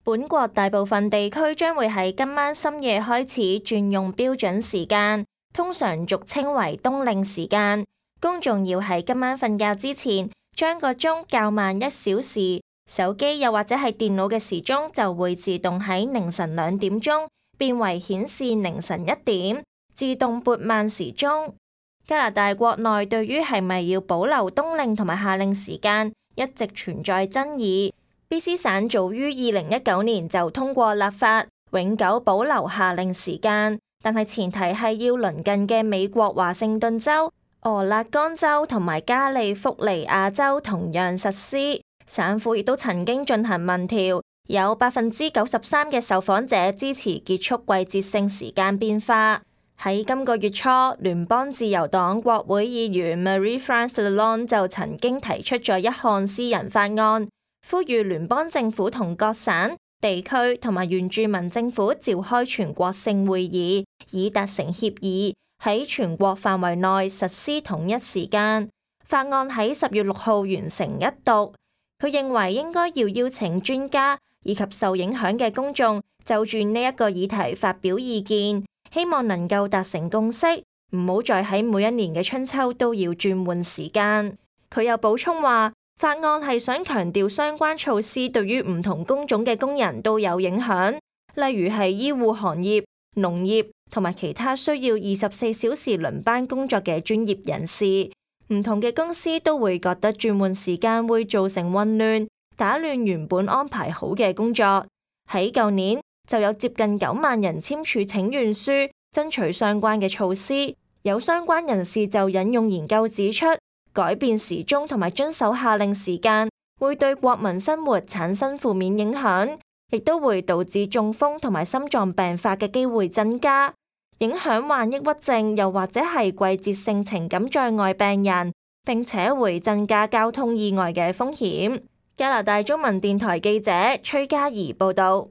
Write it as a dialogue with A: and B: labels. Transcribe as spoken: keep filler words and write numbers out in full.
A: 本國大部分地區將會喺今晚深夜開始轉用標準時間，通常俗稱為冬令時間。公眾要喺今晚瞓覺之前將個鐘校慢一小時，手機又或者係電腦嘅時鐘就會自動喺凌晨兩點鐘變為顯示凌晨一點，自動撥慢時鐘。加拿大國內對於係咪要保留冬令同埋夏令時間一直存在爭議。B C 省早於二零一九年就通過立法，永久保留夏令時間，但係前提係要鄰近嘅美國華盛頓州、俄勒岡州同埋加利福尼亞州同樣實施。省府亦都曾經進行民調，有百分之九十三嘅受訪者支持結束季節性時間變化。喺今個月初，聯邦自由黨國會議員 Marie-France Lalonde 就曾經提出咗一項私人法案，呼籲聯邦政府同各省、地區同埋原住民政府召開全國性會議，以達成協議，喺全國範圍內實施統一時間。法案喺十月六號完成一讀。佢認為應該要邀請專家以及受影響嘅公眾就住呢一個議題發表意見。希望能夠達成共識，唔好再喺每一年嘅春秋都要轉換時間。佢又補充話，法案係想強調相關措施對於唔同工種嘅工人都有影響，例如係醫護行業、農業同埋其他需要二十四小時輪班工作嘅專業人士。唔同嘅公司都會覺得轉換時間會造成混亂，打亂原本安排好嘅工作。喺舊年，就有接近九萬人簽署請願書，爭取相關嘅措施。有相關人士就引用研究指出，改變時鐘同埋遵守夏令時間會對國民生活產生負面影響，亦都會導致中風同埋心臟病發嘅機會增加，影響患抑鬱症又或者係季節性情感障礙病人，並且會增加交通意外嘅風險。加拿大中文電台記者崔嘉怡報道。